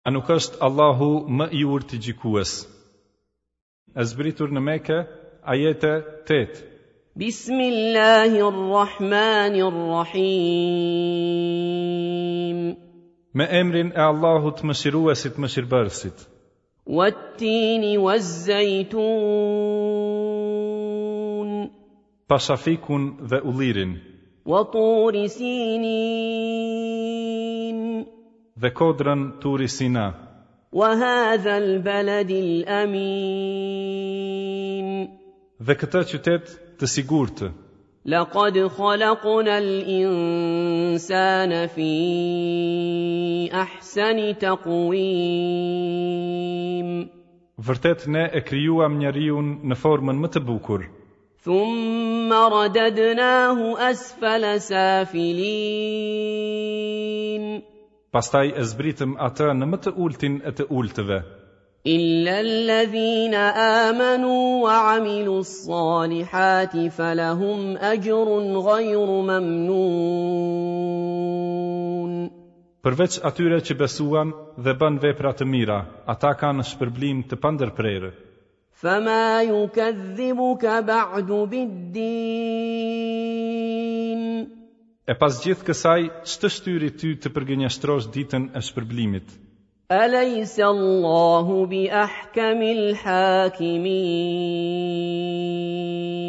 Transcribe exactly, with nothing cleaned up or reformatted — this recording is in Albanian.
A nuk është Allahu më i urti gjykues? E zbritur në Mekë, ajete tetë. بسم الله الرحمن الرحيم. Me emrin e Allahut mëshiruesit mëshirbërësit. والتين والزيتون. Pasha fikun dhe ullirin. وطور سينين. Dhe kodrën Turi Sina. وهذا البلد الأمين. Dhe këtë qytet të sigurt. لقد خلقنا الإنسان في أحسن تقويم. Vërtet ne e krijuam njeriun në formën më të bukur. ثم رددناه أسفل سافلين. Pastaj e zbritëm atë në më të ultin e të ultëve. إلا الذين آمنوا وعملوا الصالحات فلهم أجر غير ممنون. Përveç atyre që besuan dhe bën vepra të mira, ata kanë shpërblim të pandërprerë. فما يكذبك بعد بالدين. E pas gjithë kësaj, ç'të shtyri ty të përgënjeshtrosh ditën e shpërblimit? أليس الله بأحكم الحاكمين؟